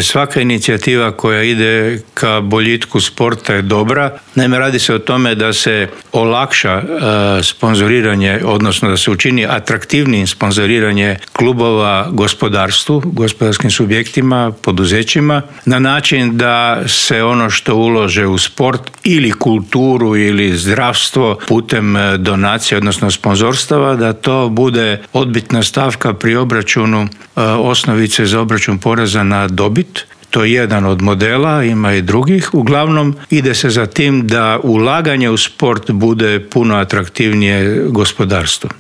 Svaka inicijativa koja ide ka boljitku sporta je dobra. Naime, radi se o tome da se olakša sponzoriranje, odnosno da se učini atraktivnijim sponzoriranje klubova gospodarstvu, gospodarskim subjektima, poduzećima, na način da se ono što ulože u sport ili kulturu ili zdravstvo putem donacije, odnosno sponzorstava, da to bude odbitna stavka pri obračunu osnovice za obračun poreza na dobit. To je jedan od modela, ima i drugih. Uglavnom ide se za tim da ulaganje u sport bude puno atraktivnije gospodarstvo.